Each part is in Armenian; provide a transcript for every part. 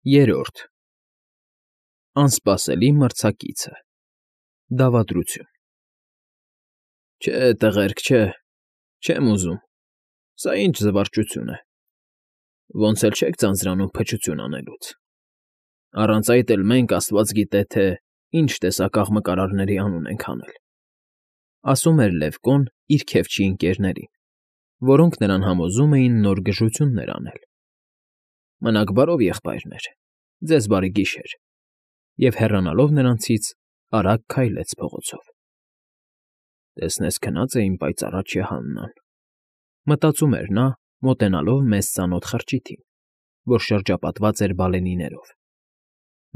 Երրորդ Անսպասելի մրցակիցը Դավադրություն Չէ, տղերք, չէ, չեմ ուզում, սա ինչ զվարճություն է, ոնց էլ չեք ձանձրանում փչություն անելուց, առանց այդ էլ մենք, աստված գիտե, թե ինչ տեսակ աղմկարարների անուն ենք անել, ասում էր Լևկոն իր քեֆչի ընկերներին, որոնք նրան համոզում էին նոր գժություններ անել. Մնաք բարով, եղբայրներ, ձեզ բարի գիշեր, և հեռանալով նրանցից արագ քայլեց փողոցով. Տեսնես քնած է իմ պայծառաչյա Հաննան, մտածում էր նա, մոտենալով մեզ ծանոթ խրճիթին, որ շրջապատված էր բալենիներով.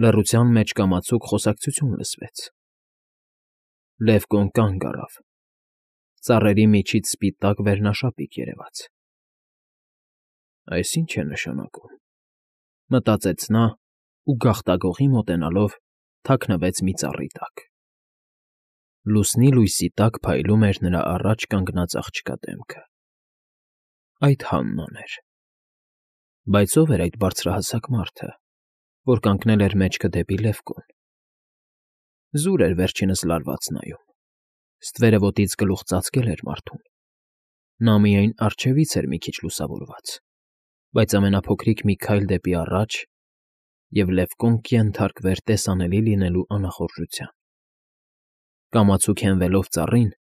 լռության մեջ կամացուկ խոսակցություն լսվեց. Լևկոն կանգ առավ, ծառերի միջից սպիտակ վերնաշապիկ երևաց. Այս ինչ է նշանակում, մտածեց նա ու գաղտագողի մոտենալով թաքնվեց մի ծառի տակ. լուսնի լույսի տակ փայլում էր նրա առաջ կանգնած աղջկա դեմքը. այդ Հաննան էր, բայց ո՞վ էր այդ բարձրահասակ մարդը, որ կանգնել էր մեջքը դեպի Լևկոն. զուր էր վերջինս լարված նայում, ստվերը ոտից գլուխ ծածկել էր մարդուն, նա միայն առջևից էր մի քիչ լուսավորված, բայց ամենափոքրիկ մի քայլ դեպի առաջ, և Լևկոն կենթարկվեր տեսանելի լինելու անախորժության. կամացուկ հենվելով ծառին,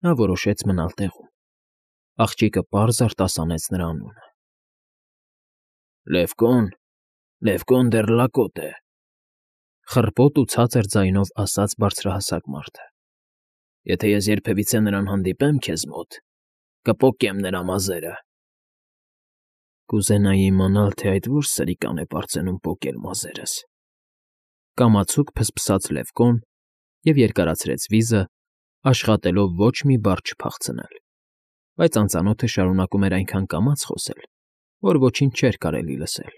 նա որոշեց մնալ տեղում, աղջիկը պարզ արտասանեց նրա անունը. Լևկոն դեռ լակոտ է, խռպոտ ու ցածր ձայնով ասաց բարձրահասակ մարդը, եթե ես երբևիցե նրան հանդիպեմ քեզ մոտ, կպոկեմ նրա մազերը. Կուզենայի իմանալ, թե այդ ո՞ր սրիկան է պարծենում պոկել մազերս, կամացուկ փսփսաց Լևկոն և երկարացրեց վիզը, աշխատելով ոչ մի բառ չփախցնել, բայց անծանոթը շարունակում էր այնքան կամաց խոսել, որ ոչինչ չէր կարելի լսել.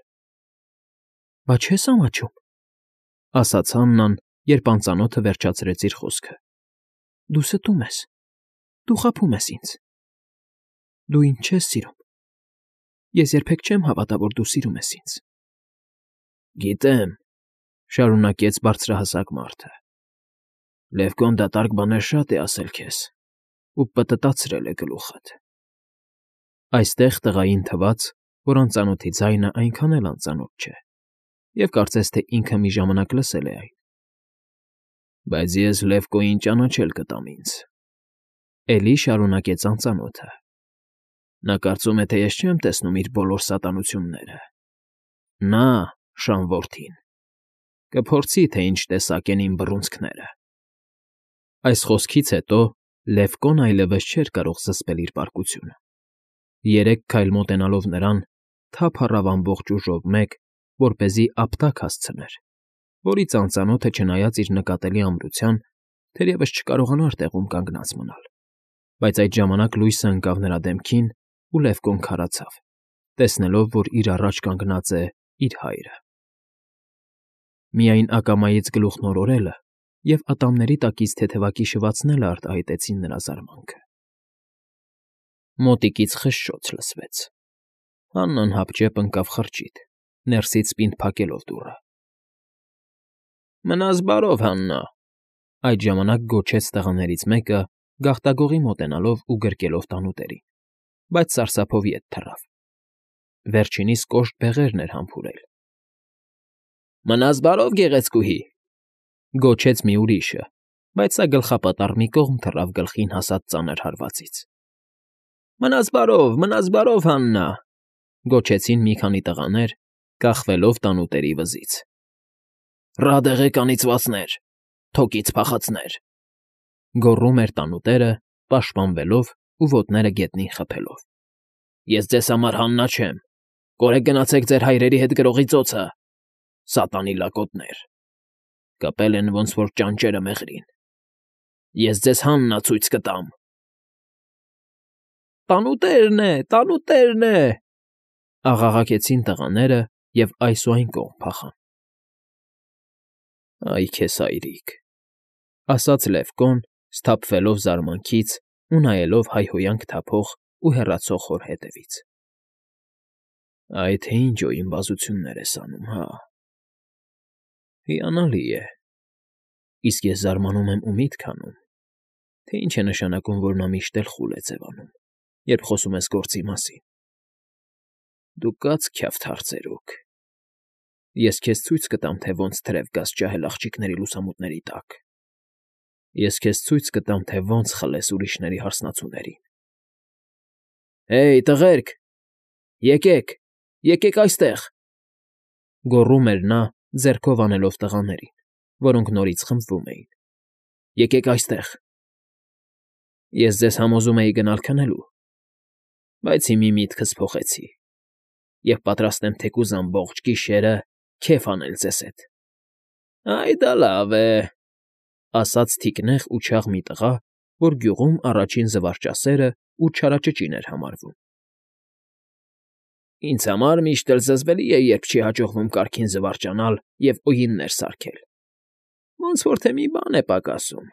Բա չես ամաչում, ասաց Հաննան, երբ անծանոթը վերջացրեց իր խոսքը, դու ստում ես, դու խաբում ես ինձ, դու ինձ չես սիրում, ես երբեք չեմ հավատա, որ դու սիրում ես ինձ. Գիտեմ, շարունակեց բարձրահասակ մարդը, Լևկոն դատարկ բաներ շատ է ասել քեզ ու պտտացրել է գլուխդ. այստեղ տղային թվաց, որ անծանոթի ձայնը այնքան էլ անծանոթ չէ, և կարծես թե ինքը մի ժամանակ լսել է այն. բայց ես Լևկոյին ճանաչել կտամ ինձ, էլի շարունակեց անծանոթը, նա կարծում է, թե ես չեմ տեսնում իր բոլոր սատանությունները, նա, շան որդին, կփորձի, թե ինչ տեսակ են իմ բռունցքները. Այս խոսքից հետո Լևկոն այլևս չէր կարող զսպել իր պարկությունը, երեք քայլ մոտենալով նրան, թափ առավ ամբողջ ուժով մեկ, որպեսզի ապտակ հասցներ, որից անծանոթը չնայած իր նկատելի ամրության, թերևս չկարողանար տեղում կանգնած մնալ, բայց այդ ժամանակ լույսը ընկավ նրա դեմքին, ու Լևկոն քարացավ, տեսնելով, որ իր առաջ կանգնած է իր հայրը. Միայն ակամայից գլուխն օրորելը և ատամների տակից թեթևակի շվացնելը արտահայտեցին նրա զարմանքը. Մոտիկից խշշոց լսվեց. Հաննան հապճեպ ընկավ խրճիթ, ներսից պինդ փակելով դուռը. Մնաս բարով, Հաննա, այդ ժամանակ գոչեց տղաներից մեկը, գաղտագողի մոտենալով ու գրկելով տանուտերին, բայց սարսափով ետ թռավ. վերջինիս կոշտ բեղերն էր համբուրել. Մնաս բարով, գեղեցկուհի, գոչեց մի ուրիշը, բայց սա գլխապատառ մի կողմ թռավ գլխին հասած ծանր հարվածից. Մնաս բարով, Հաննա, գոչեցին մի քանի տղաներ, կախվելով տանուտերի վզից. Ռադ եղեք անիծվածներ, թոկից փախածներ, գոռում էր տանուտերը, պաշտպանվելով ու ոտները գետնին խփելով. Ես ձեզ համար Հաննա չեմ, կորեք գնացեք ձեր հայրերի հետ գրողի ծոցը, սատանի լակոտներ, կպել են ոնց որ ճանճերը մեղրին, ես ձեզ Հաննա ցույց կտամ. Տանուտերն է, աղաղակեցին տղաները և այս ու այն կողմ փախան. Այ քեզ հայրիկ, ասաց Լևկոն, սթափվելով զարմանքից ու նայելով հայհոյանք թափող ու հեռացող հոր հետևից. Այ թե ինչ օյնբազություններ ես անում, հա։ Հիանալի է։ Իսկ ես զարմանում եմ ու միտք անում, թե ինչ է նշանակում, որ նա միշտ էլ խուլ է ձևանում, երբ խոսում ես գործի մասին։ Դու կաց քյավթ հարցերուկ։ Ես քեզ ցույց կտամ, թե ոնց թրև գաս ջահել աղջիկների լուսամուտների տակ։ Ես քեզ ցույց կտամ, թե ոնց խլես ուրիշների հարսնացուներին։ Հեյ, տղերք, եկեք, եկեք այստեղ, գոռում էր նա, ձեռքով անելով տղաներին, որոնք նորից խմբվում էին։ Եկեք այստեղ։ Ես ձեզ համոզում էի գնալ քնելու, բայց հիմի միտքս փոխեցի և պատրաստ եմ թեկուզ ամբողջ գիշերը քեֆ անել ձեզ հետ։ Այ դա լավ է, ասաց թիկնեղ ու չաղ մի տղա, որ գյուղում առաջին զվարճասերը ու չարաճճին էր համարվում։ Ինձ համար միշտ էլ զզվելի է, երբ չի հաջողվում կարգին զվարճանալ և ուղիներ սարքել, ոնց որ թե մի բան է պակասում,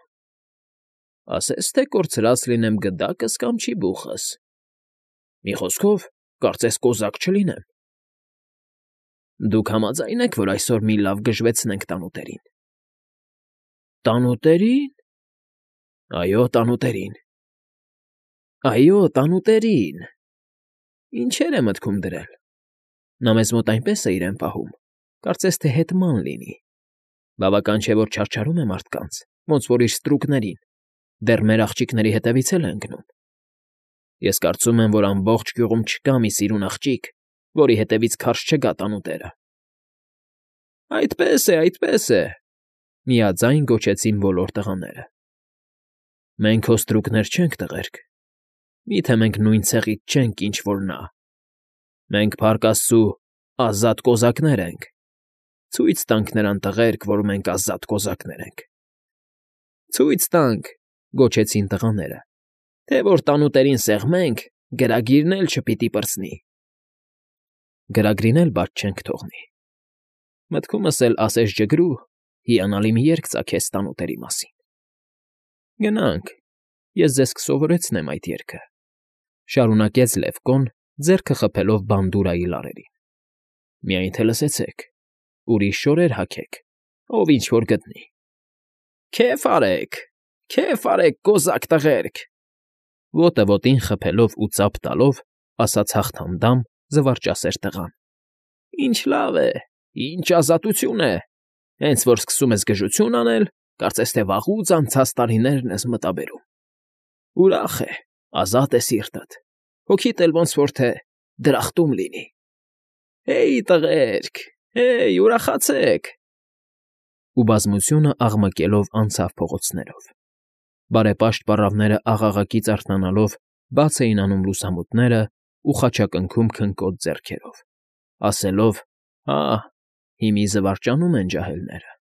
ասես թե կորցրած լինեմ գդակս կամ չիբուխս, մի խոսքով, կարծես կոզակ չլինեմ։ Դուք համաձայն եք, որ այսօր մի լավ գժվեցնենք տանուտերին։ Տանուտերի՞ն։ Այո, տանուտերին։ Ինչեր է մտքում դրել։ Նա մեզ մոտ այնպես է իրեն պահում, կարծես թե հետման լինի։ Բավական չէ, որ չարչարում է մարդկանց, ոնց որ իր ստրուկներին, դեռ մեր աղջիկների հետևից էլ է ընկնում։ Ես կարծում եմ, որ ամբողջ գյուղում չկա մի սիրուն աղջիկ, որի հետևից քարշ չգա տանուտերը։ Այդպես է, միաձայն գոչեցին բոլոր տղաները։ Մենք հո ստրուկներ չենք, տղերք, միթե մենք նույն ցեղից չենք, ինչ որ նա։ Մենք, փառք աստծու, ազատ կոզակներ ենք։ Ցույց տանք նրան, տղերք, որ մենք ազատ կոզակներ ենք։ Ցույց տանք, գոչեցին տղաները, թե որ տանուտերին սեղմենք, գրագիրն էլ չպիտի պրծնի։ Գրագրին էլ բաց չենք թողնի։ Մտքումս էլ ասես ջգրու, հիանալի մի երգ ծագեց տանուտերի մասին։ Գնանք, ես ձեզ կսովորեցնեմ այդ երգը, շարունակեց Լևկոն, ձեռքը խփելով բանդուրայի լարերին։ Միայն թե լսեցեք, ուրիշ շորեր հագեք, ով ինչ֊որ գտնի։ Քեֆ արեք, կոզակ տղերք, ոտը ոտին խփելով ու ծափ տալով, ասաց հաղթանդամ զվարճասեր տղան։ Ինչ լավ է, ինչ ազատություն է, հենց որ սկսում ես գժություն անել, կարծես թե վաղուց անցած տարիներն ես մտաբերում։ Ուրախ է, ազատ է սիրտդ, հոգիդ էլ ոնց որ թե դրախտում լինի։ Հեյ, տղերք, հեյ, ուրախացեք։ Ու բազմությունը աղմկելով անցավ փողոցներով։ Բարեպաշտ պառավները աղաղակից արթնանալով բաց էին անում լուսամուտները ու խաչակնքում քնկոտ ձեռքերով, ասելով. «Հա, հիմի զվարճանում են ջահելները»։